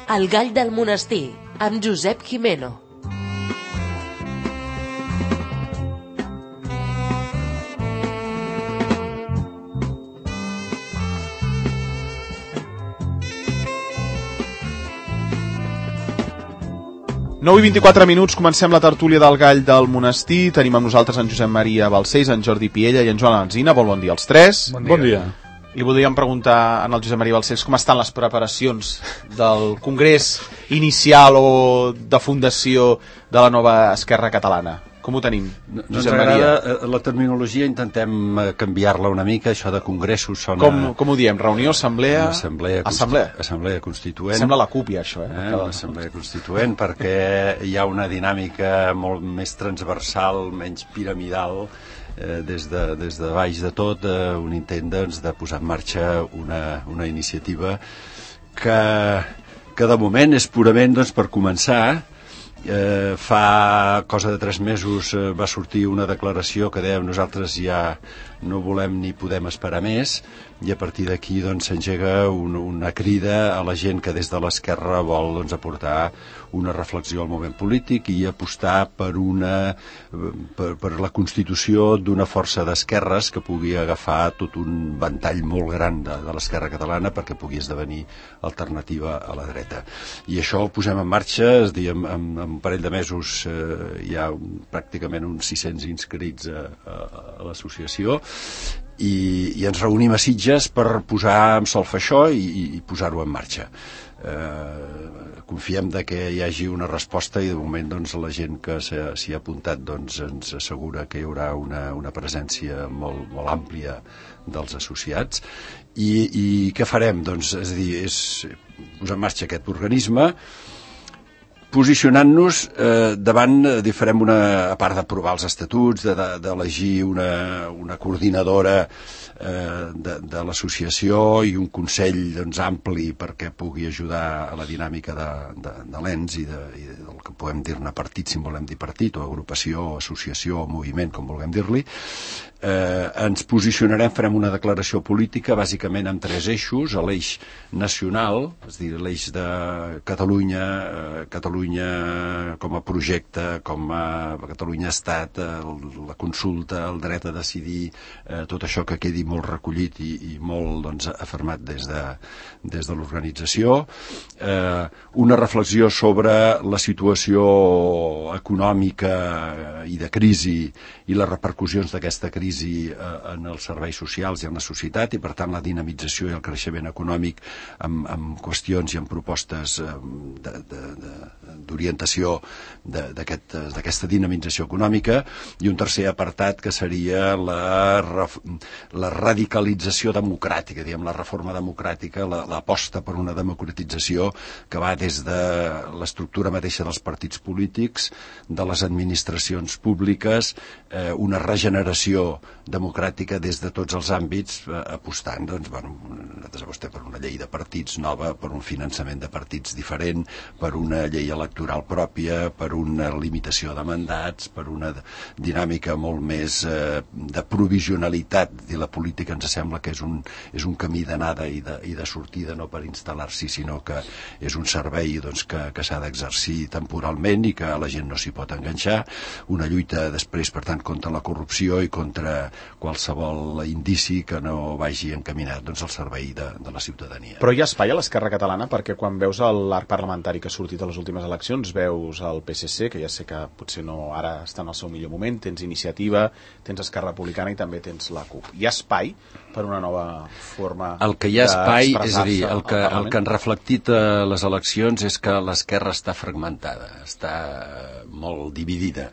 El gall del monestir, amb Josep Gimeno. Nou i 24 minuts, comencem la tertúlia del gall del monestir. Tenim amb nosaltres en Josep Maria Balcells, en Jordi Piella i en Joan Alsina. Bon dia als tres. Bon dia. Li voldríem preguntar al Josep Maria Balcells com estan les preparacions del congrés inicial o de fundació de la nova Esquerra Catalana. Com ho tenim, Josep Maria? La terminologia intentem canviar-la una mica, això de congressos sona... Com ho diem? Reunió, assemblea? Assemblea constituent. Sembla la CUP, ja, això, L'assemblea constituent, perquè hi ha una dinàmica molt més transversal, menys piramidal, des de baix de tot, un intent de posar en marxa una iniciativa que de moment és purament per començar. Fa cosa de 3 mesos va sortir una declaració que dèiem nosaltres ja no volem ni podem esperar més, i a partir d'aquí s'engega una crida a la gent que des de l'esquerra vol aportar una reflexió al moment polític i apostar per la constitució d'una força d'esquerres que pugui agafar tot un ventall molt gran de l'esquerra catalana perquè pugui esdevenir alternativa a la dreta. I això ho posem en marxa, és a dir, en un parell de mesos hi ha pràcticament uns 600 inscrits a l'associació, i ens reunim a Sitges per posar en solfa això i posar-ho en marxa. Confiem que hi hagi una resposta i de moment la gent que s'hi ha apuntat ens assegura que hi haurà una presència molt, molt àmplia dels associats. I què farem? És a dir, és posar en marxa aquest organisme, posicionant-nos davant, farem a part d'aprovar els estatuts, d'elegir una coordinadora de l'associació i un consell ampli perquè pugui ajudar a la dinàmica de l'ENS i del que podem dir-ne partit, si en volem dir partit, o agrupació, o associació, o moviment, com vulguem dir-li. Ens posicionarem, farem una declaració política bàsicament amb 3 eixos: l'eix nacional, és a dir, l'eix de Catalunya com a projecte, com a Catalunya Estat, la consulta, el dret a decidir, tot això que quedi molt recollit i molt afermat des de l'organització. Una reflexió sobre la situació econòmica i de crisi i les repercussions d'aquesta crisi en els serveis socials i en la societat, i per tant la dinamització i el creixement econòmic amb qüestions i amb propostes d'orientació d'aquesta dinamització econòmica. I un tercer apartat que seria la radicalització democràtica, diguem, la reforma democràtica, l'aposta per una democratització que va des de l'estructura mateixa dels partits polítics, de les administracions públiques, una regeneració democràtica des de tots els àmbits, apostant, nosaltres apostem per una llei de partits nova, per un finançament de partits diferent, per una llei electoral pròpia, per una limitació de mandats, per una dinàmica molt més de provisionalitat. I la política ens sembla que és un camí d'anada i de sortida, no per instal·lar-s'hi, sinó que és un servei que s'ha d'exercir temporalment i que la gent no s'hi pot enganxar. Una lluita després, per tant, contra la corrupció i contra qualsevol indici que no vagi encaminat al servei de la ciutadania. Però hi ha espai a l'Esquerra Catalana, perquè quan veus l'arc parlamentari que ha sortit a les últimes eleccions, veus el PSC, que ja sé que potser no ara està en el seu millor moment, tens Iniciativa, tens Esquerra Republicana i també tens la CUP. Hi ha espai per una nova forma d'expressar-se? El que hi ha espai, és a dir, el que han reflectit les eleccions és que l'esquerra està fragmentada, està molt dividida.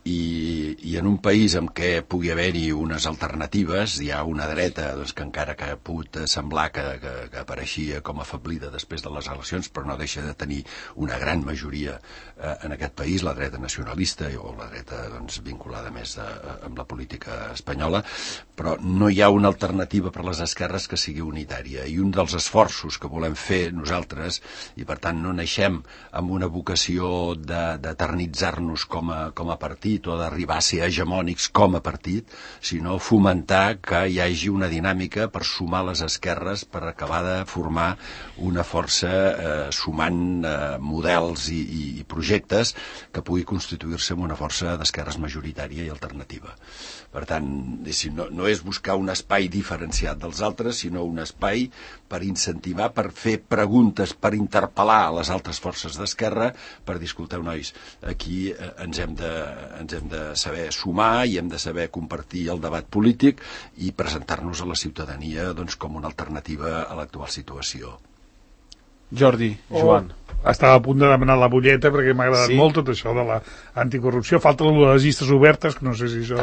I en un país en què pugui haver-hi unes alternatives, hi ha una dreta que encara que ha pogut semblar que apareixia com afablida després de les eleccions, però no deixa de tenir una gran majoria en aquest país, la dreta nacionalista o la dreta vinculada més amb la política espanyola, però no hi ha una alternativa per a les esquerres que sigui unitària. I un dels esforços que volem fer nosaltres, i per tant no naixem amb una vocació d'eternitzar-nos com a partit, partit o d'arribar a ser hegemònics com a partit, sinó fomentar que hi hagi una dinàmica per sumar les esquerres, per acabar de formar una força sumant models i projectes que pugui constituir-se en una força d'esquerres majoritària i alternativa. Per tant, no és buscar un espai diferenciat dels altres, sinó un espai per incentivar, per fer preguntes, per interpel·lar les altres forces d'esquerra, per dir, escolteu, nois, aquí ens hem de saber sumar i hem de saber compartir el debat polític i presentar-nos a la ciutadania com una alternativa a l'actual situació. Jordi, Joan. Estava a punt de demanar la butlleta perquè m'ha agradat molt tot això de l'anticorrupció. Falta les llistes obertes, que no sé si això...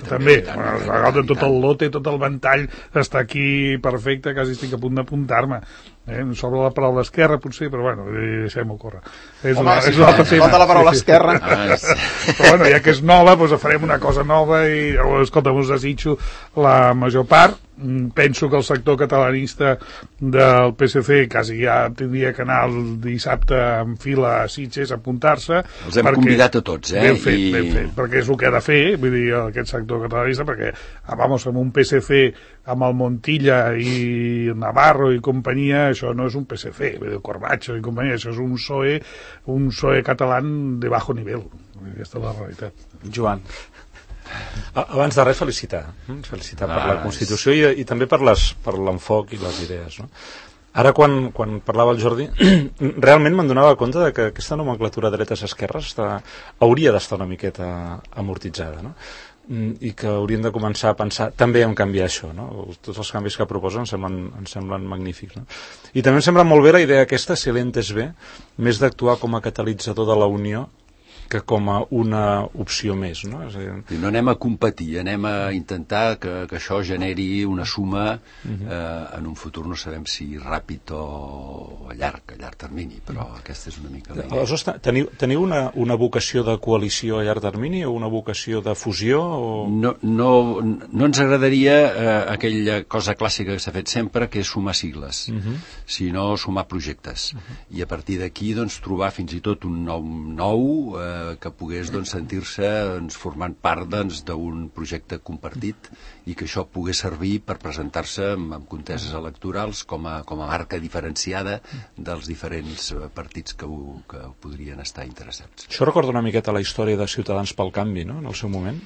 També. Agafant tot el lote, tot el ventall, està aquí perfecte, quasi estic a punt d'apuntar-me. Sobre la paraula esquerra, potser, però bueno, deixem-ho córrer. És un altre tema. Falta la paraula esquerra. Però bueno, ja que és nova, doncs farem una cosa nova i, escolta, us desitjo la major part. Penso que el sector catalanista del PSC quasi ja tindria que anar el dissabte en fila a Sitges a apuntar-se. Els hem convidat a tots, Ben fet, perquè és el que ha de fer, vull dir, aquest sector catalanista, perquè, amb un PSC amb el Montilla i Navarro i companyia, això no és un PSC, Corbacho i companyia, això és un PSOE català de bajo nivell. Aquesta és la realitat. Joan. Abans de res, felicitar per la Constitució i també per l'enfoc i les idees, no? Ara, quan parlava el Jordi, realment me'n donava compte de que aquesta nomenclatura dretes-esquerres hauria d'estar una miqueta amortitzada, no? I que hauríem de començar a pensar també en canviar això, no? Tots els canvis que proposen em semblen magnífics, no? I també em sembla molt bé la idea aquesta, si l'he entès bé, més d'actuar com a catalitzador de la unió que com a una opció més, no? És a dir... I no anem a competir, anem a intentar que això generi una suma en un futur, no sabem si ràpid o a llarg termini, però aquesta és una mica la idea. Aleshores, teniu una vocació de coalició a llarg termini o una vocació de fusió? O... No ens agradaria aquella cosa clàssica que s'ha fet sempre, que és sumar sigles, sinó sumar projectes. I a partir d'aquí trobar fins i tot un nou que pogués sentir-se formant part d'un projecte compartit i que això pogués servir per presentar-se en conteses electorals com a marca diferenciada dels diferents partits que podrien estar interessats. Això recorda una miqueta la història de Ciutadans pel Canvi, no?, en el seu moment.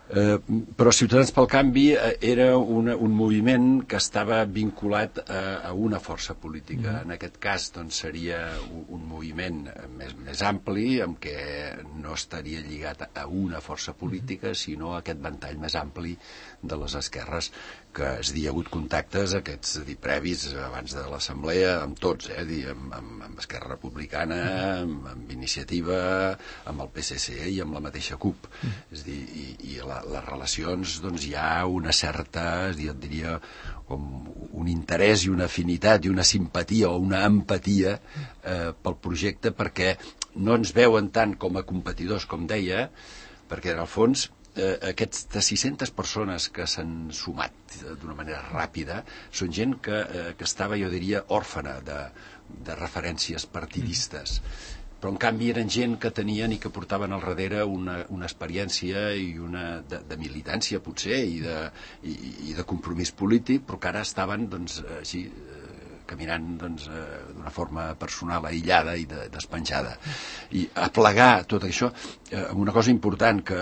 Però Ciutadans pel Canvi era un moviment que estava vinculat a una força política. En aquest cas seria un moviment més ampli, en què no estaria lligat a una força política, sinó a aquest ventall més ampli de les esquerres, que hi ha hagut contactes aquests previs abans de l'assemblea amb tots, amb Esquerra Republicana, amb Iniciativa, amb el PSC i amb la mateixa CUP. És a dir, i les relacions, hi ha una certa, jo et diria, com un interès i una afinitat i una simpatia o una empatia pel projecte, perquè no ens veuen tant com a competidors, com deia, perquè en el fons aquestes 600 persones que s'han sumat d'una manera ràpida són gent que estava, jo diria, òrfana de referències partidistes, però en canvi eren gent que tenien i que portaven al darrere una experiència i de militància potser i de compromís polític, però que ara estaven així caminant d'una forma personal aïllada i despenjada. I aplegar tot això amb una cosa important, que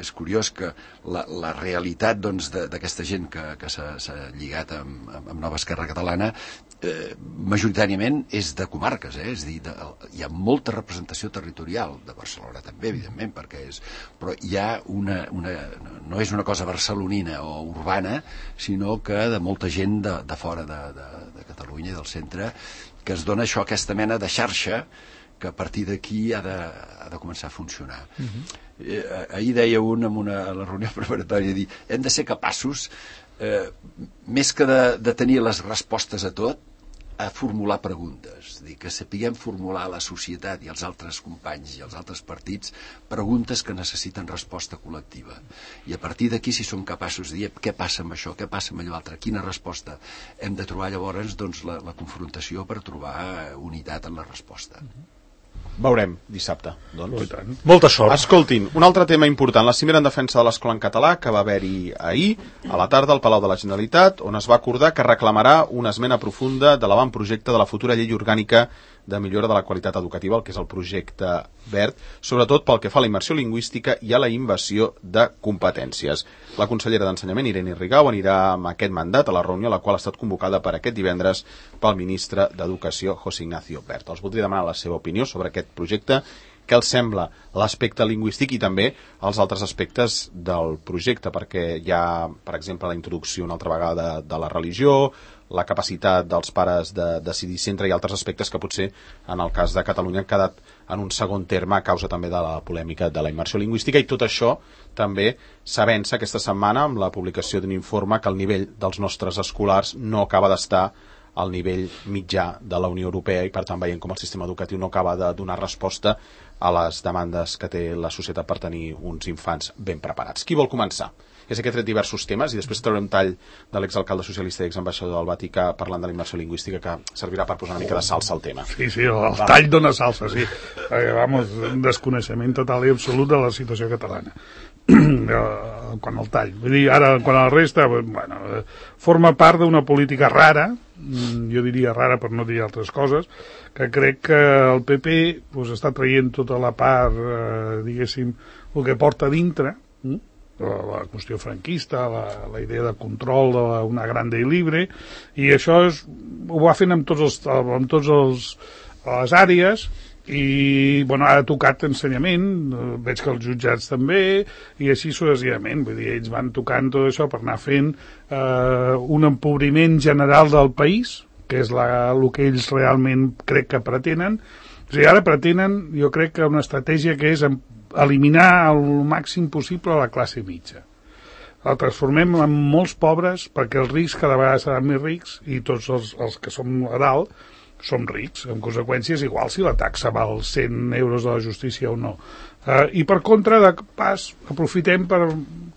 és curiós que la realitat d'aquesta gent que s'ha lligat amb Nova Esquerra Catalana majoritàriament és de comarques, és a dir, hi ha molta representació territorial, de Barcelona també, evidentment, però hi ha no és una cosa barcelonina o urbana, sinó que de molta gent de fora de Catalunya i del centre, que es dona això, aquesta mena de xarxa que a partir d'aquí ha de començar a funcionar. Ahir deia a la reunió preparatòria, hem de ser capaços, més que de tenir les respostes a tot, a formular preguntes, que sapiguem formular a la societat i als altres companys i als altres partits preguntes que necessiten resposta col·lectiva. I a partir d'aquí, si som capaços de dir què passa amb això, què passa amb allò altre, quina resposta, hem de trobar llavors la confrontació per trobar unitat en la resposta. Veurem dissabte, doncs. Molta sort. Escoltin, un altre tema important, la cimera en defensa de l'escola en català, que va haver-hi ahir, a la tarda, al Palau de la Generalitat, on es va acordar que reclamarà una esmena profunda de l'avantprojecte de la futura llei orgànica de millora de la qualitat educativa, el que és el projecte verd, sobretot pel que fa a la immersió lingüística i a la invasió de competències. La consellera d'Ensenyament, Irene Rigau, anirà amb aquest mandat a la reunió, la qual ha estat convocada per aquest divendres pel ministre d'Educació, José Ignacio Wert. Els voldria demanar la seva opinió sobre aquest projecte, què els sembla l'aspecte lingüístic i també els altres aspectes del projecte, perquè hi ha, per exemple, la introducció una altra vegada de la religió, la capacitat dels pares de decidir centre i altres aspectes que potser en el cas de Catalunya han quedat en un segon terme a causa també de la polèmica de la immersió lingüística, i tot això també s'avença aquesta setmana amb la publicació d'un informe que el nivell dels nostres escolars no acaba d'estar al nivell mitjà de la Unió Europea, i per tant veiem com el sistema educatiu no acaba de donar resposta a les demandes que té la societat per tenir uns infants ben preparats. Qui vol començar? És que he tret diversos temes i després traurem tall de l'exalcalde socialista i exambaixador del Vaticà parlant de la immersió lingüística, que servirà per posar una mica de salsa al tema. Sí, el tall dona salsa, sí. Vamos, un desconeixement total i absolut de la situació catalana. Quan al tall. Vull dir, ara, quan a la resta, bueno, forma part d'una política rara, jo diria rara per no dir altres coses, que crec que el PP està traient tota la part, diguéssim, el que porta dintre, la qüestió franquista, la idea de control d'una grande i libre, i això ho va fent amb tots les àrees, i bueno, ha tocat ensenyament, veig que els jutjats també, i així successivament. Vull dir, ells van tocant tot això per anar fent un empobriment general del país, que és el que ells realment crec que pretenen. O sigui, ara pretenen, jo crec que una estratègia que és eliminar el màxim possible la classe mitja. La transformem en molts pobres perquè els rics cada vegada seran més rics i tots els que som a dalt som rics. En conseqüència és igual si la taxa val 100 euros de la justícia o no. I per contra, de pas, aprofitem per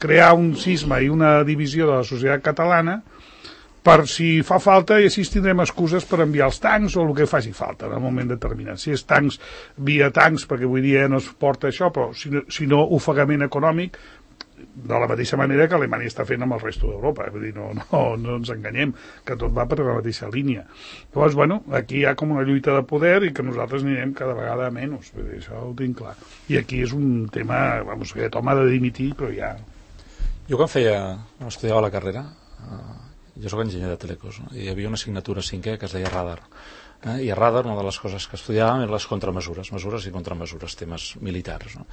crear un cisma i una divisió de la societat catalana per si fa falta, i així tindrem excuses per enviar els tancs o el que faci falta en un moment determinat. Si és tancs, via tancs, perquè avui dia no es porta això, però si no, ofegament econòmic, de la mateixa manera que Alemanya està fent amb el resto d'Europa. Vull dir, no ens enganyem, que tot va per la mateixa línia. Llavors, bueno, aquí hi ha com una lluita de poder i que nosaltres anirem cada vegada menys. Vull dir, això ho tinc clar. I aquí és un tema, vamos, que aquest home ha de dimitir, però ja... Jo quan estudiava la carrera, jo soc enginyer de telecos, no? I hi havia una assignatura 5è que es deia radar. I a radar una de les coses que estudiàvem eren les contramesures, mesures i contramesures, temes militars. No?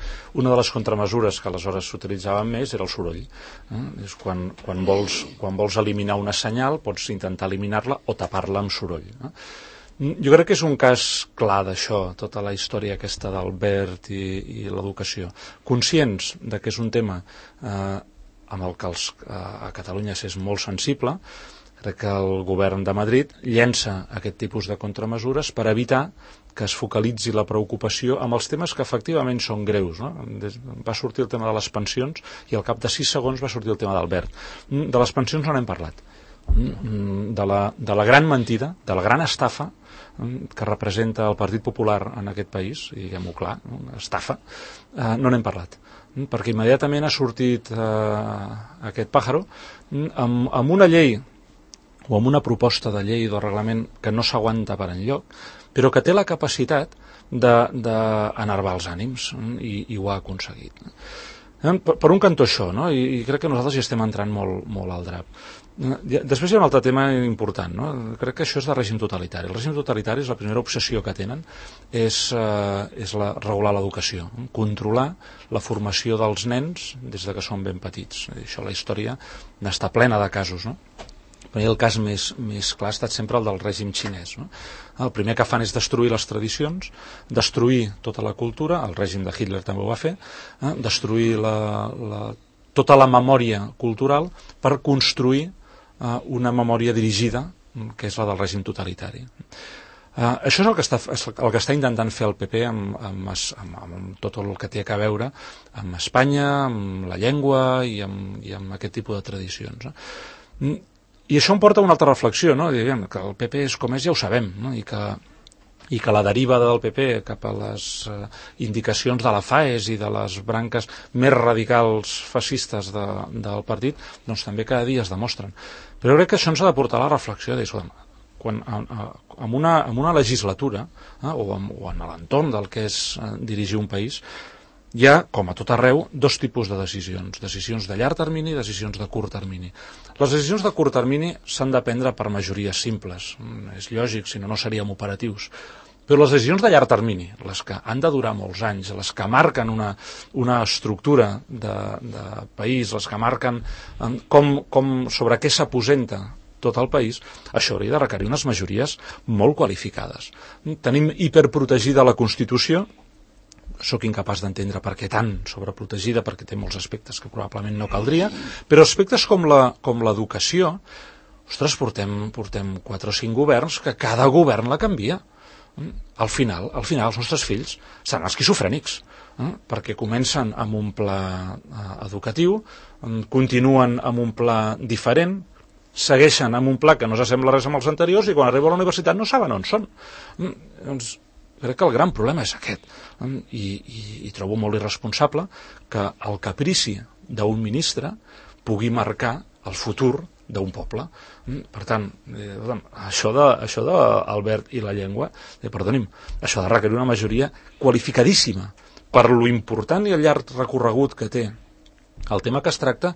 Una de les contramesures que aleshores s'utilitzaven més era el soroll. És quan vols eliminar una senyal, pots intentar eliminar-la o tapar-la amb soroll. No? Jo crec que és un cas clar d'això, tota la història aquesta del verd i l'educació. Conscients de que és un tema amb el que a Catalunya és molt sensible, crec que el govern de Madrid llença aquest tipus de contramesures per evitar que es focalitzi la preocupació amb els temes que efectivament són greus. No? Va sortir el tema de les pensions i al cap de 6 segons va sortir el tema del verd. De les pensions no n'hem parlat. De la gran mentida, de la gran estafa que representa el Partit Popular en aquest país, diguem-ho clar, una estafa, no n'hem parlat. Perquè immediatament ha sortit aquest pàjaro amb una llei o amb una proposta de llei o reglament que no s'aguanta per enlloc, però que té la capacitat d'enervar els ànims i ho ha aconseguit. Per un cantó això, no? I crec que nosaltres hi estem entrant molt al drap. Després hi ha un altre tema important, no? Crec que això és de règim totalitari. El règim totalitari és la primera obsessió que tenen, és regular l'educació, controlar la formació dels nens des que són ben petits. Això la història n'està plena de casos, no? Per mi el cas més clar ha estat sempre el del règim xinès. No? El primer que fan és destruir les tradicions, destruir tota la cultura, el règim de Hitler també ho va fer, destruir tota la memòria cultural per construir una memòria dirigida, que és la del règim totalitari. Això és el que està intentant fer el PP amb tot el que té a veure amb Espanya, amb la llengua i amb aquest tipus de tradicions. I això em porta a una altra reflexió, no? Que el PP és com és, ja ho sabem, no? I que i que la deriva del PP cap a les indicacions de la FAES i de les branques més radicals fascistes del partit, doncs també cada dia es demostren. Però jo crec que això ens ha de portar a la reflexió de dir, quan en una legislatura o en l'entorn del que és dirigir un país, hi ha, com a tot arreu, dos tipus de decisions de llarg termini i decisions de curt termini. Les decisions de curt termini s'han de prendre per majories simples, és lògic, si no, no seríem operatius. Però les decisions de llarg termini, les que han de durar molts anys, les que marquen una estructura de país, les que marquen sobre què s'aposenta tot el país, això hauria de requerir unes majories molt qualificades. Tenim hiperprotegida la Constitució, sóc incapaç d'entendre per què tan sobreprotegida, perquè té molts aspectes que probablement no caldria, però aspectes com l'educació, ostres, portem 4 o 5 governs que cada govern la canvia. Al final els nostres fills seran esquizofrènics, perquè comencen amb un pla educatiu, continuen amb un pla diferent, segueixen amb un pla que no s'assembla res amb els anteriors i quan arriben a la universitat no saben on són. Doncs crec que el gran problema és aquest, i trobo molt irresponsable que el caprici d'un ministre pugui marcar el futur d'un poble. Per tant, això d'Albert i la llengua, perdonim, això ha de requerir una majoria qualificadíssima per lo important i el llarg recorregut que té el tema que es tracta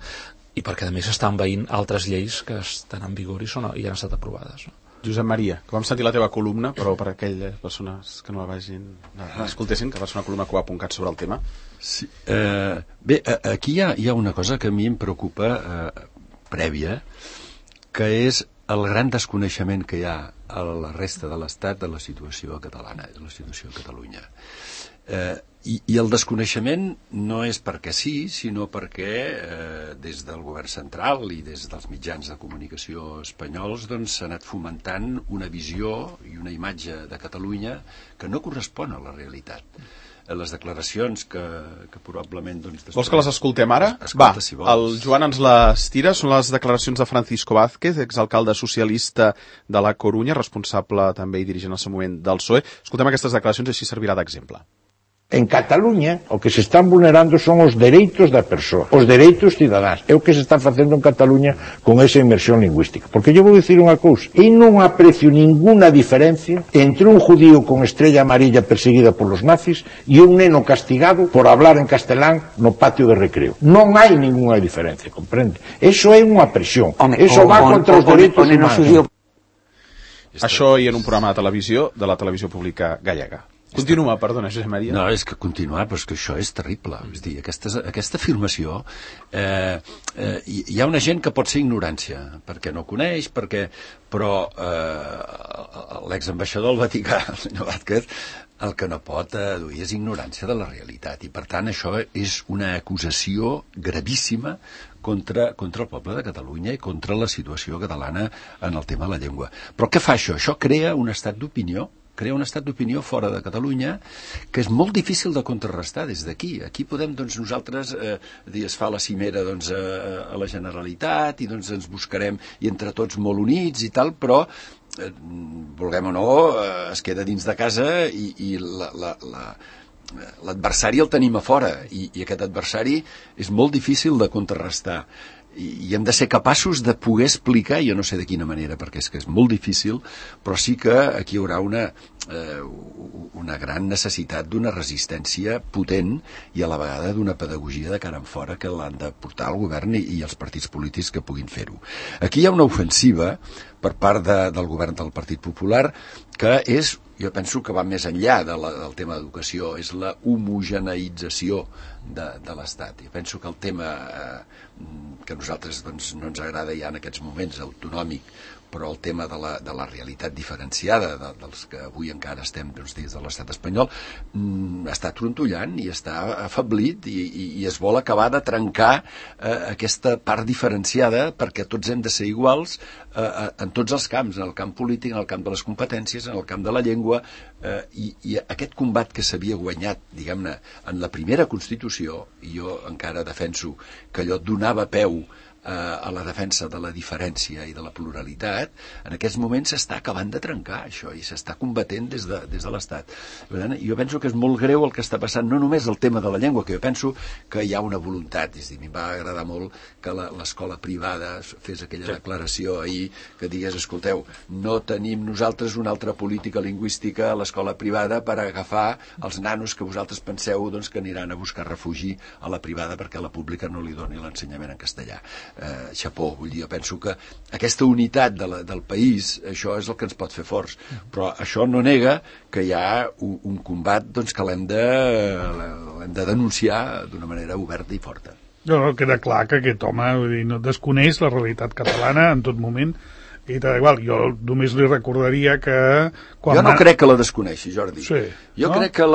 i perquè a més estan veient altres lleis que estan en vigor i han estat aprovades. Josep Maria, que vam sentir la teva columna, però per aquelles persones que no la vagin, no escoltessin, que va ser una columna que ho ha apuntat sobre el tema. Sí, bé, aquí hi ha una cosa que a mi em preocupa prèvia, que és el gran desconeixement que hi ha a la resta de l'Estat de la situació catalana, de la situació a Catalunya. I el desconeixement no és perquè sí, sinó perquè des del govern central i des dels mitjans de comunicació espanyols s'ha anat fomentant una visió i una imatge de Catalunya que no correspon a la realitat. Les declaracions que probablement... Vols que les escoltem ara? Va, si el Joan ens les tira. Són les declaracions de Francisco Vázquez, exalcalde socialista de la Corunya, responsable també i dirigent al seu moment del PSOE. Escoltem aquestes declaracions i així servirà d'exemple. En Cataluña o que se están vulnerando son os dereitos da persoa, os dereitos cidadáns. É o que se está facendo en Cataluña con esa inmersión lingüística. Porque eu vou dicir unha cousa, e non aprecio ninguna diferencia entre un judío con estrella amarilla perseguida polos nazis e un neno castigado por hablar en castelán no patio de recreo. Non hai ninguna diferencia, comprende? Eso é unha presión. Eso va contra os dereitos humanos. Això i en un programa de la televisió pública gallega. Continua, perdona, Josep Maria. No, és que continuar, però és que això és terrible. És dir, aquesta afirmació, hi ha una gent que pot ser ignorància, perquè no coneix, però l'exambaixador del Vaticà, el senyor Vázquez, el que no pot aduir és ignorància de la realitat, i per tant això és una acusació gravíssima contra el poble de Catalunya i contra la situació catalana en el tema de la llengua. Però què fa això? Això crea un estat d'opinió fora de Catalunya que és molt difícil de contrarrestar des d'aquí. Aquí podem, nosaltres, es fa la cimera a la Generalitat i ens buscarem i entre tots molt units i tal, però vulguem o no, es queda dins de casa i l'adversari el tenim a fora i aquest adversari és molt difícil de contrarrestar. I hem de ser capaços de poder explicar, jo no sé de quina manera, perquè és que és molt difícil, però sí que aquí hi haurà una gran necessitat d'una resistència potent i a la vegada d'una pedagogia de cara en fora que l'han de portar el govern i els partits polítics que puguin fer-ho. Aquí hi ha una ofensiva per part del govern del Partit Popular que és, jo penso que va més enllà del tema d'educació, és la homogeneïtzació de l'Estat. Jo penso que el tema que a nosaltres no ens agrada ja en aquests moments, autonòmic, però el tema de la realitat diferenciada dels que avui encara estem dins de l'estat espanyol està trontollant i està afeblit i es vol acabar de trencar aquesta part diferenciada perquè tots hem de ser iguals en tots els camps, en el camp polític, en el camp de les competències, en el camp de la llengua i aquest combat que s'havia guanyat, diguem-ne, en la primera Constitució, i jo encara defenso que allò donava peu a la defensa de la diferència i de la pluralitat, en aquests moments s'està acabant de trencar això i s'està combatent des de l'Estat. Jo penso que és molt greu el que està passant, no només el tema de la llengua, que jo penso que hi ha una voluntat, és a dir, em va agradar molt que l'escola privada fes aquella declaració ahir que digués, escolteu, no tenim nosaltres una altra política lingüística a l'escola privada per agafar els nanos que vosaltres penseu doncs, que aniran a buscar refugi a la privada perquè a la pública no li doni l'ensenyament en castellà. Xapó, vull dir, jo penso que aquesta unitat del país, això és el que ens pot fer forts, però això no nega que hi ha un combat doncs, que l'hem de denunciar d'una manera oberta i forta. No, queda clar que aquest home vull dir, no desconeix la realitat catalana en tot moment i tal igual. Jo només li recordaria que... Jo no crec que la desconeixi, Jordi. Sí, jo crec que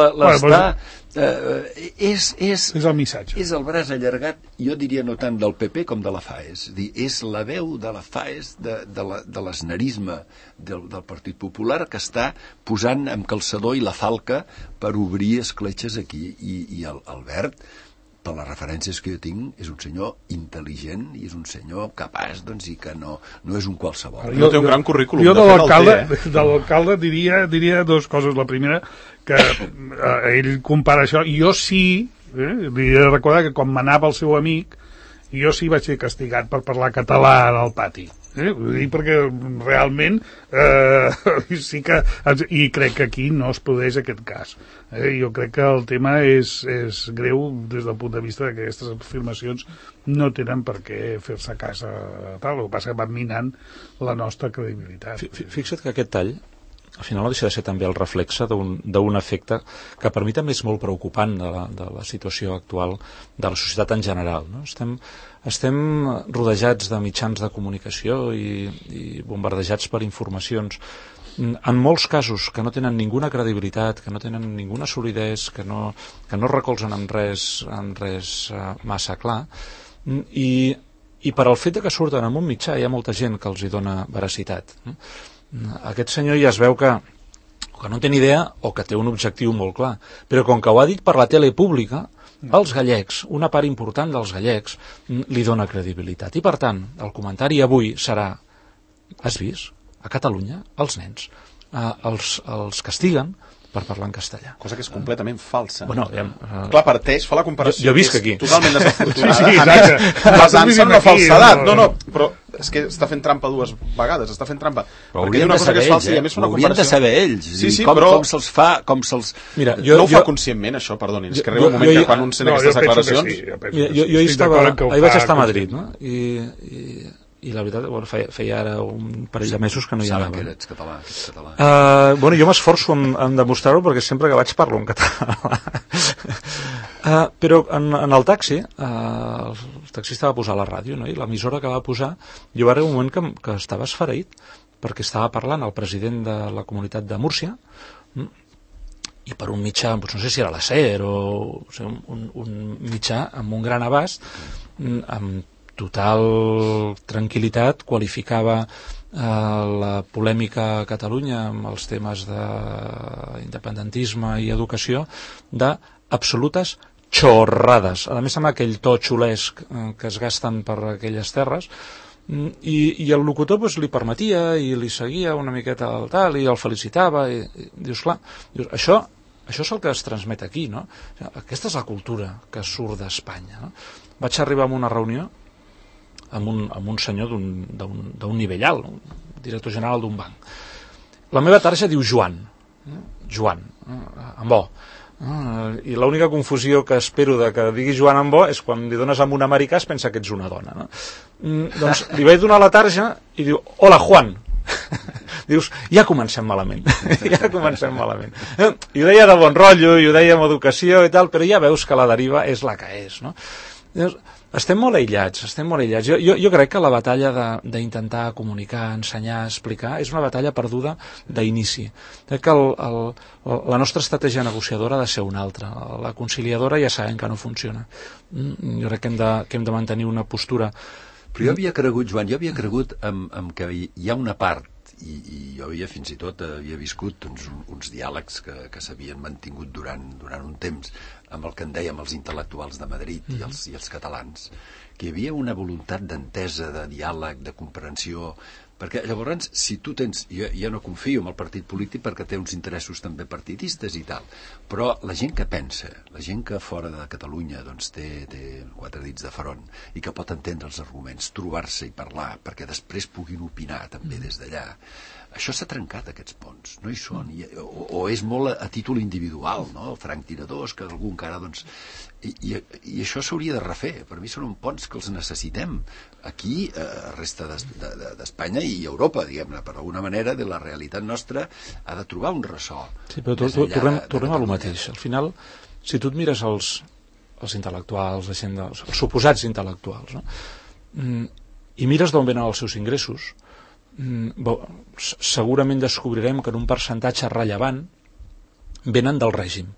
és el missatge. És el braç allargat, jo diria no tant del PP com de la FAES. És la veu de la FAES, de l'esnerisme del Partit Popular, que està posant amb calçador i la falca per obrir escletxes aquí. I Albert, per les referències que jo tinc, és un senyor intel·ligent i és un senyor capaç, doncs, i que no és un qualsevol. Jo té un gran currículum. Jo de l'alcalde diria dues coses. La primera, que ell compara això, i jo sí, li he de recordar que quan m'anava el seu amic, jo sí vaig ser castigat per parlar català al pati. Ho dic perquè realment sí que i crec que aquí no es produeix aquest cas. Jo crec que el tema és greu des del punt de vista que aquestes afirmacions no tenen per què fer-se cas a tal, el que passa que van minant la nostra credibilitat. Fixa't que aquest tall al final no deixa de ser també el reflexe d'un efecte que per mi també és molt preocupant de la situació actual de la societat en general, no? Estem rodejats de mitjans de comunicació i bombardejats per informacions en molts casos que no tenen ninguna credibilitat, que no tenen ninguna solidesa, que no recolzen en res massa clar, i per al fet que surten en un mitjà hi ha molta gent que els hi dona veracitat. Aquest senyor ja es veu que no té ni idea o que té un objectiu molt clar, però com que ho ha dit per la tele pública, els gallecs, una part important dels gallecs, li dona credibilitat. I per tant, el comentari avui serà: has vist? A Catalunya, els nens els castiguen per parlar en castellà. Cosa que és completament falsa. Bueno, clar, parteix, fa la comparació. Jo visc aquí. Totalment desafortunada. Sí, exacte. Basant-se en una falsedat. No, però és que està fent trampa dues vegades, està fent trampa. Però haurien de saber ells, haurien de saber ells. Sí, però... Com se'ls fa, com se'ls... Mira, no ho fa conscientment, això, perdoni. És que arriba un moment que quan un sent aquestes declaracions... Jo vaig estar a Madrid, no? I la veritat, feia ara un parell de mesos que no hi anava. Saben que ets català. Jo m'esforço en demostrar-ho perquè sempre que vaig parlo en català. Però en el taxi, el taxista va posar la ràdio, no? I l'emissora que va posar, jo va arribar un moment que estava esfereït perquè estava parlant el president de la comunitat de Múrcia i per un mitjà, no sé si era la SER o un mitjà amb un gran abast, amb total tranquil·litat qualificava la polèmica a Catalunya amb els temes d'independentisme i educació d'absolutes xorrades, a més amb aquell to xulesc que es gasten per aquelles terres, i el locutor li permetia i li seguia una miqueta el tal i el felicitava i dius, clar, això és el que es transmet aquí, no? Aquesta és la cultura que surt d'Espanya, no? Vaig arribar a una reunió amb un senyor d'un nivell alt, un director general d'un banc. La meva tarja diu Joan, amb O. I l'única confusió que espero de que digui Joan amb O és quan li dones amb un americà es pensa que ets una dona, no? Doncs li vaig donar la tarja i diu, hola Juan. Dius, ja comencem malament. I ho deia de bon rotllo, i ho deia amb educació i tal, però ja veus que la deriva és la que és, no? Estem molt aïllats. Jo crec que la batalla d'intentar comunicar, ensenyar, explicar, és una batalla perduda d'inici. Crec que la nostra estratègia negociadora ha de ser una altra. La conciliadora ja sabem que no funciona. Jo crec que hem de mantenir una postura. Però jo havia cregut, Joan, en que hi ha una part, i jo fins i tot havia viscut uns diàlegs que s'havien mantingut durant un temps amb el que en dèiem els intel·lectuals de Madrid i els catalans, que hi havia una voluntat d'entesa, de diàleg, de comprensió, perquè llavors si tu tens, jo no confio en el partit polític perquè té uns interessos també partidistes i tal, però la gent que pensa, la gent que fora de Catalunya doncs té 4 dits de front i que pot entendre els arguments, trobar-se i parlar perquè després puguin opinar també des d'allà, això s'ha trencat, aquests ponts, no hi són, o és molt a títol individual, no? El franctiradors, que algú encara doncs... I això s'hauria de refer. Per mi són ponts que els necessitem aquí, a resta d'Espanya i Europa, diguem-ne, per alguna manera de la realitat nostra ha de trobar un ressò. Sí, però tornem a lo mateix. Al final, si tu et mires els intel·lectuals, els suposats intel·lectuals, no? I mires d'on venen els seus ingressos, segurament descobrirem que en un percentatge rellevant venen del règim,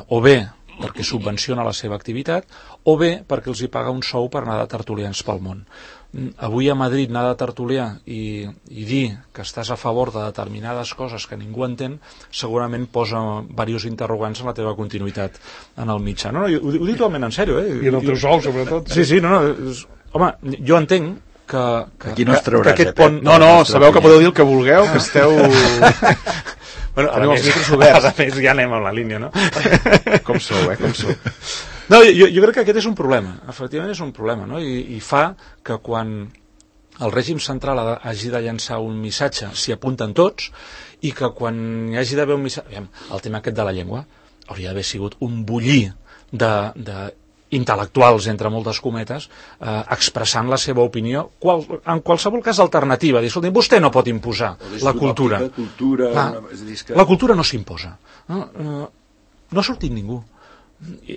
o bé perquè subvenciona la seva activitat o bé perquè els hi paga un sou per anar de tertulians pel món. Avui a Madrid anar de tertulià i dir que estàs a favor de determinades coses que ningú entén segurament posa diversos interrogants en la teva continuïtat en el mitjà. No, ho dic totalment en sèrio. I en el teu sou, sobretot. Sí, home, jo entenc que aquí no es trauràs, aquest pont... No, sabeu que podeu dir el que vulgueu, que esteu... Bueno, a més, a més ja anem amb la línia, no? Com sou, com sou. No, jo crec que aquest és un problema, efectivament és un problema, no? I fa que quan el règim central hagi de llançar un missatge s'hi apunten tots i que quan hi hagi d'haver un missatge... El tema aquest de la llengua hauria d'haver sigut un bullir intel·lectuals, entre moltes cometes, expressant la seva opinió, en qualsevol cas alternativa. Dir, escolta, vostè no pot imposar la cultura. La cultura no s'imposa. No ha sortit ningú.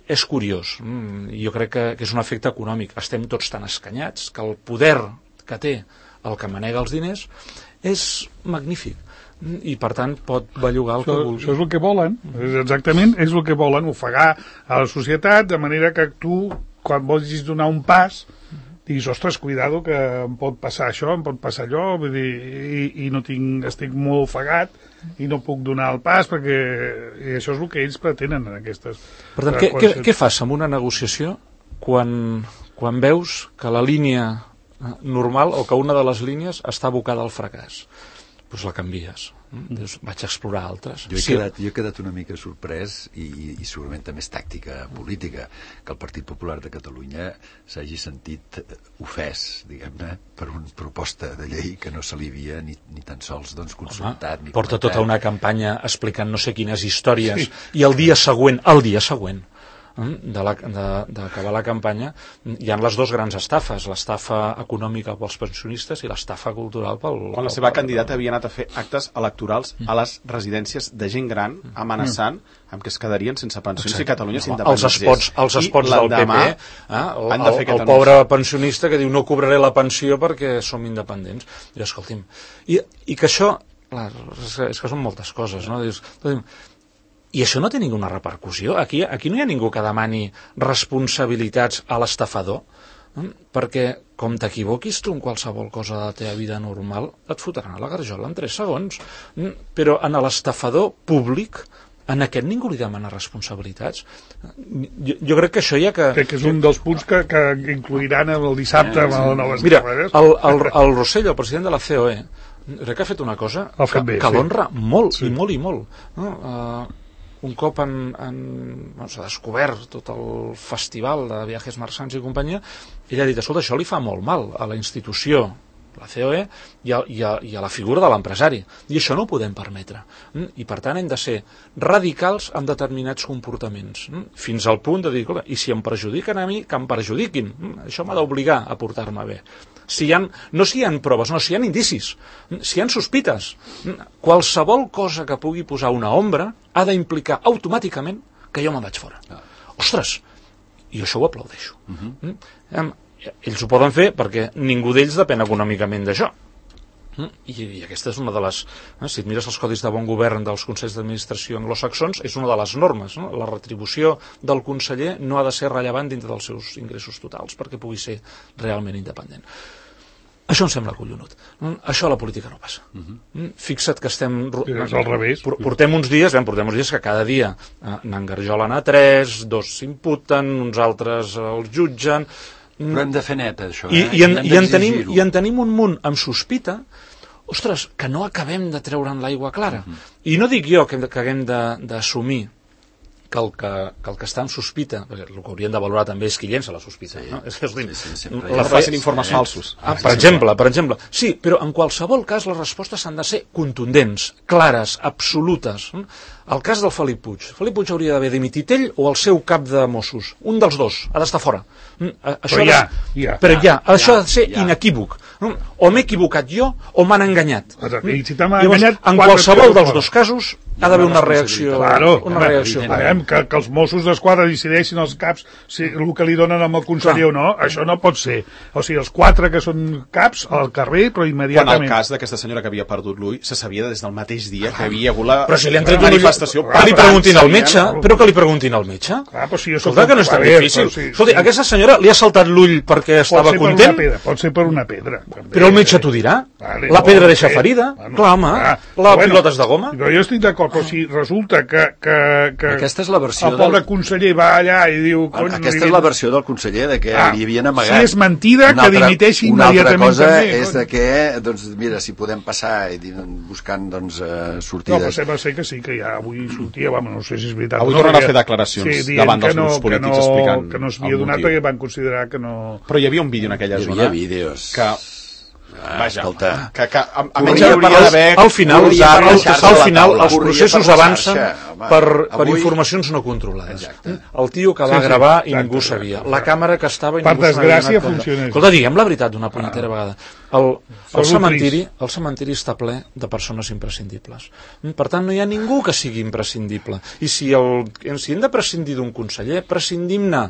És curiós. Jo crec que és un efecte econòmic. Estem tots tan escanyats que el poder que té el que manega els diners és magnífic. I per tant pot bellugar el que vulgui. Això és el que volen, exactament és el que volen, ofegar a la societat de manera que tu, quan vols donar un pas, diguis, ostres, cuidado que em pot passar això, em pot passar allò, vull dir, i no estic molt ofegat i no puc donar el pas perquè i això és el que ells pretenen en aquestes... Per tant, què fas amb una negociació quan veus que la línia normal o que una de les línies està abocada al fracàs? Doncs la canvies. Dius, vaig a explorar altres. Jo he quedat una mica sorprès i segurament també és tàctica política que el Partit Popular de Catalunya s'hagi sentit ofès, diguem-ne, per una proposta de llei que no se li havia ni tan sols consultat. Porta tota una campanya explicant no sé quines històries i el dia següent d'acabar la campanya hi ha les dues grans estafes, l'estafa econòmica pels pensionistes i l'estafa cultural quan la seva candidata havia anat a fer actes electorals a les residències de gent gran amenaçant amb que es quedarien sense pensions i Catalunya s'independitzés. Els spots del PP, el pobre pensionista que diu no cobraré la pensió perquè som independents. I escolti'm, i que això és que són moltes coses, no? Dius, i això no té ninguna repercussió. Aquí no hi ha ningú que demani responsabilitats a l'estafador, perquè com t'equivoquis tu en qualsevol cosa de la teva vida normal, et fotran a la garjola en 3 segons. Però en l'estafador públic, en aquest ningú li demana responsabilitats. Jo crec que això ja que... Crec que és un dels punts que incluiran el dissabte amb el nou Mira, el Rossell, el president de la COE, crec que ha fet una cosa que l'honra molt i molt i molt. Un cop s'ha descobert tot el festival de Viajes Marsands i companyia, ell ha dit, escolta, això li fa molt mal a la institució, la COE, i a la figura de l'empresari. I això no ho podem permetre. I per tant hem de ser radicals en determinats comportaments, fins al punt de dir, escolta, i si em perjudiquen a mi, que em perjudiquin. Això m'ha d'obligar a portar-me bé. No si hi ha proves, no, si hi ha indicis, si hi ha sospites. Qualsevol cosa que pugui posar una ombra ha d'implicar automàticament que jo me'n vaig fora. Ostres, i això ho aplaudeixo. Ells ho poden fer perquè ningú d'ells depèn econòmicament d'això. I aquesta és una de les... Si et mires els codis de bon govern dels consells d'administració anglosaxons, és una de les normes. La retribució del conseller no ha de ser rellevant dintre dels seus ingressos totals perquè pugui ser realment independent. Això em sembla collonut. Això a la política no passa. Fixa't que estem... És al revés. Portem uns dies que cada dia n'engarjolen a 3, 2 s'imputen, uns altres els jutgen... Però hem de fer net, això. I en tenim un munt amb sospita, ostres, que no acabem de treure'n l'aigua clara. I no dic jo que haguem d'assumir que el que està en sospita, perquè el que haurien de valorar també és qui llença la sospita. Facin informes falsos. Per exemple. Sí, però en qualsevol cas les respostes han de ser contundents, clares, absolutes. El cas del Felip Puig. Felip Puig hauria d'haver dimitit ell o el seu cap de Mossos. Un dels dos ha d'estar fora. Això ha de ser inequívoc. O m'he equivocat jo o m'han enganyat. Llavors, en qualsevol dels dos casos ha d'haver una reacció. Que els Mossos d'Esquadra decideixin els caps el que li donen amb el conseller o no, això no pot ser. O sigui, els 4 que són caps al carrer, però immediatament... Quan el cas d'aquesta senyora que havia perdut l'ull se sabia des del mateix dia que havia hagut la però si li han tret manifestació... Que li preguntin al metge, però que li preguntin al metge. Escolta, que no és tan difícil. Escolta, aquesta senyora li ha saltat l'ull perquè estava content? Pot ser per una pedra. Però el metge t'ho dirà. La pedra deixa ferida. Clar, home. La pilota és de goma. Però jo estic d'acord, però si resulta que aquesta és la versió el pobre conseller va allà i diu... Aquesta és la versió del conseller, de que li havien amagat. Si és mentida, que dimiteixi immediatament. Una altra cosa és de que, doncs, mira, si podem passar buscant, doncs, sortides. No, però sembla ser que sí, que ja avui sortia, no sé si és veritat. Avui tornen a fer declaracions davant dels grups polítics explicant que no s'havia donat perquè van considerar que no... Però hi havia un vídeo en aquella zona... Hi havia vídeos. Vaja, al final els processos avancen per informacions no controlades. El tio que va gravar i ningú sabia, la càmera que estava i per desgràcia funciona. Escolta, diguem la veritat d'una punyetera vegada, el cementiri està ple de persones imprescindibles, per tant no hi ha ningú que sigui imprescindible, i si hem de prescindir d'un conseller, prescindim-ne.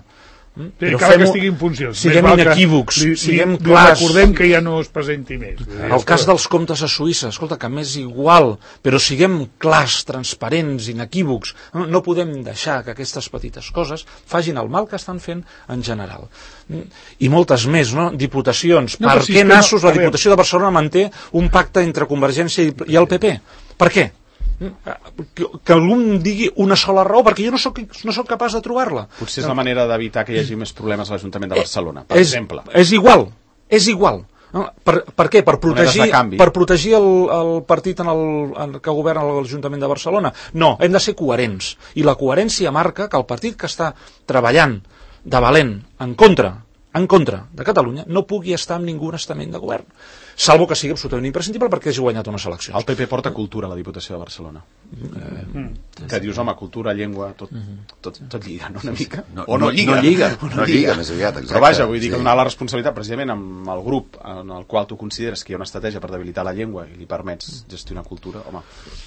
Però cal que estigui en funcions. Siguem inequívocs, siguem clars. Recordem que ja no es presenti més. El cas dels comptes a Suïssa, escolta, que m'és igual, però siguem clars, transparents, inequívocs. No podem deixar que aquestes petites coses facin el mal que estan fent en general. I moltes més, no? Diputacions. Per què nassos la Diputació de Barcelona manté un pacte entre Convergència i el PP? Per què? Que algú em digui una sola raó, perquè jo no soc capaç de trobar-la. Potser és la manera d'evitar que hi hagi més problemes a l'Ajuntament de Barcelona, per exemple. És igual. Per què? Per protegir el partit que governa l'Ajuntament de Barcelona? No, hem de ser coherents. I la coherència marca que el partit que està treballant de valent en contra de Catalunya no pugui estar en ningú estament de govern, salvo que sigui absolutament imprescindible perquè hagi guanyat unes eleccions. El PP porta cultura a la Diputació de Barcelona. Que dius, home, cultura, llengua, tot lliga, no? Una mica? O no lliga. No lliga, més aviat, exacte. Però vaja, vull dir que donar la responsabilitat precisament amb el grup en el qual tu consideres que hi ha una estratègia per debilitar la llengua i li permets gestionar cultura, home.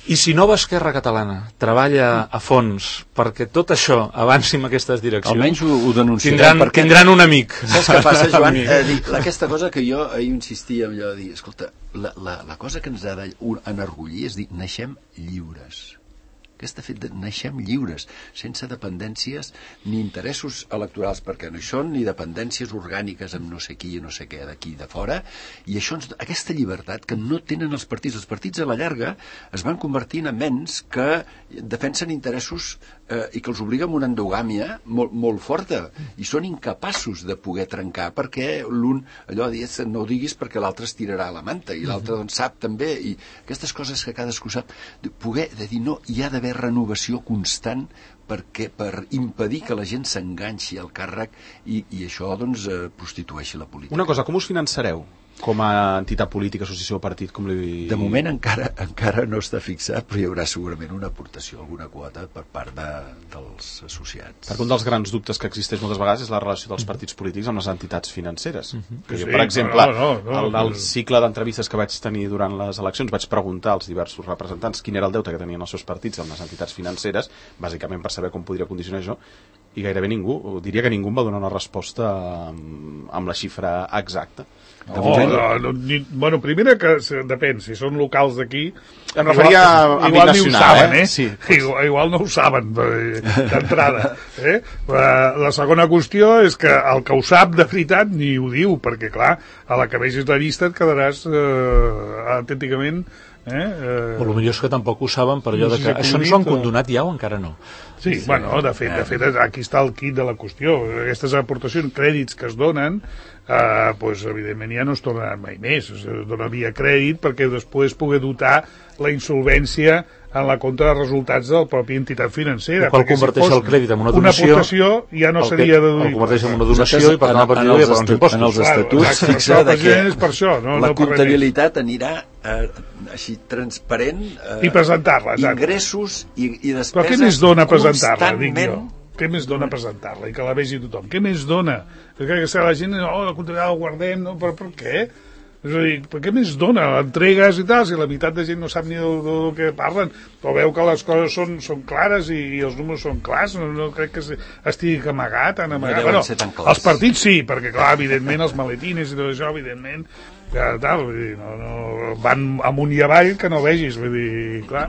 I si Nova Esquerra Catalana treballa a fons perquè tot això avanci en aquestes direccions, almenys ho denunciarem, tindran un amic. Saps què passa, Joan? Aquesta cosa que jo ahir insistia en allò de dir, escolta, la cosa que ens ha d'enorgullir és dir, naixem lliures. Aquest fet de naixem lliures, sense dependències ni interessos electorals, perquè no hi són ni dependències orgàniques amb no sé qui i no sé què d'aquí de fora, i això, aquesta llibertat que no tenen els partits a la llarga es van convertint en mens que defensen interessos i que els obliga a una endogàmia molt forta, i són incapaços de poder trencar, perquè l'un allò dius, no ho diguis perquè l'altre es tirarà la manta, i l'altre doncs sap també, i aquestes coses que cadascú sap, poder de dir no, hi ha d'haver renovació constant per impedir que la gent s'enganxi al càrrec i això doncs prostitueixi la política. Una cosa, com us finançareu? Com a entitat política, associació o partit? De moment encara no està fixat, però hi haurà segurament una aportació, alguna quota per part dels associats. Perquè un dels grans dubtes que existeix moltes vegades és la relació dels partits polítics amb les entitats financeres. Per exemple, al cicle d'entrevistes que vaig tenir durant les eleccions vaig preguntar als diversos representants quin era el deute que tenien els seus partits amb les entitats financeres, bàsicament per saber com podria condicionar això, i gairebé ningú, diria que ningú em va donar una resposta amb la xifra exacta. Bueno, primera que depèn, si són locals d'aquí em referia a àmbit nacional, sí. Igual no ho saben d'entrada, La segona qüestió és que el que ho sap de veritat ni ho diu, perquè clar, a la que vegis la llista et quedaràs autènticament o el millor és que tampoc ho saben per allò de que això ens ho han condonat ja o encara no. Sí, bueno, de fet aquí està el quid de la qüestió. Aquestes aportacions, crèdits que es donen, doncs evidentment ja no es tornaran mai més. Es dona via crèdit perquè després pugui dotar la insolvència en la compte de resultats de la pròpia entitat financera. El qual converteix el crèdit en una donació. Una aportació ja no seria deduïble. El converteix en una donació i per tant a partir d'ara pagar uns impostos. En els estatuts fixa que la comptabilitat anirà així transparent i presentar-la. Ingressos i despeses. Però què més dona presentar-la, dic jo? Què més dona presentar-la i que la vegi tothom? Què més dona? Perquè la gent, la comptabilitat la guardem, però per què? És a dir, per què més dona? L'entregues i tal, si la meitat de gent no sap ni del que parlen, però veu que les coses són clares i els números són clars, no crec que estigui amagat, Bueno, els partits sí, perquè clar, evidentment els maletines i tot això, evidentment van amunt i avall que no vegis, vull dir, clar,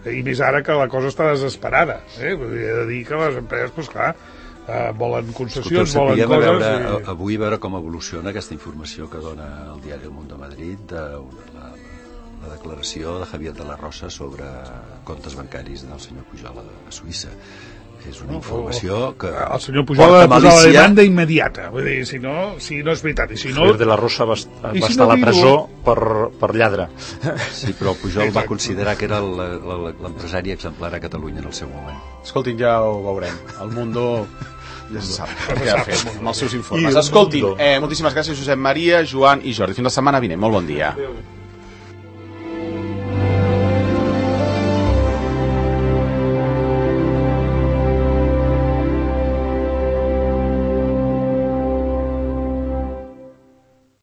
i més ara que la cosa està desesperada, vull dir, he de dir que les empreses, doncs clar, volen concessions, volen coses... Avui veure com evoluciona aquesta informació que dona el diari El Mundo Madrid de la declaració de Javier de la Rosa sobre comptes bancaris del senyor Pujol a Suïssa. És una informació que... El senyor Pujol ha de posar la demanda immediata. Vull dir, si no és veritat. I si no... Javier de la Rosa va estar a la presó per lladre. Sí, però Pujol va considerar que era l'empresari exemplar a Catalunya en el seu moment. Escoltin, ja ho veurem. El Mundo ja se sap què ha fet amb els seus informes. Escoltin, moltíssimes gràcies Josep Maria, Joan i Jordi. Fins la setmana vinent. Molt bon dia.